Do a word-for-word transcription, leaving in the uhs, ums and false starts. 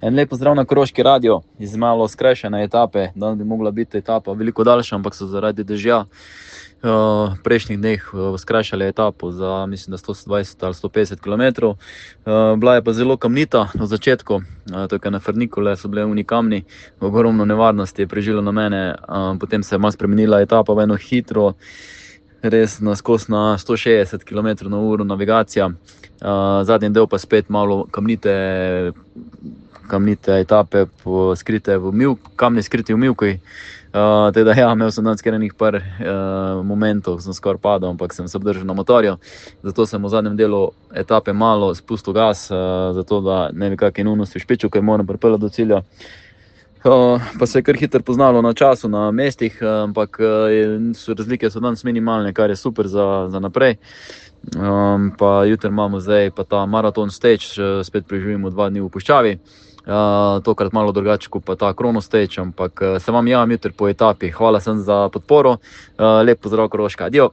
En lep pozdrav na Koroški radio iz malo skrajšane etape. Danes bi mogla biti etapa veliko daljša, ampak so zaradi dežja v prejšnjih dneh skrajšali etapo za, mislim, da sto dvajset ali sto petdeset kilometrov. Bila je pa zelo kamnita na začetku, tukaj na Frnikole so bile uni kamni, ogromno nevarnosti je prežilo na mene, potem se je malo spremenila etapa v eno hitro, res naskos na sto šestdeset kilometrov na uro navigacija, zadnji del pa spet malo kamnite, kamnite etape, skrite v mivk, kamni skriti v mivki. Uh, teda ja, imel sem danes kar enih par uh, momentov, sem skoraj padel, ampak sem se obdržal na motorju, zato sem v zadnjem delu etape malo spustil gas, uh, zato da ne bi kakšne neumnosti špičil, ker moram pripeljati do cilja. Uh, pa se je kar hitro poznalo na času, na mestih, uh, ampak uh, so razlike so danes minimalne, kar je super za, za naprej. Um, pa jutri imamo zdaj pa ta maraton stage, uh, spet preživimo dva dni v puščavi. Uh, tokrat malo drugače kot pa ta Krono stage, ampak uh, se vam javim jutri po etapi. Hvala sem za podporo, uh, lep pozdrav Koroška, adijo!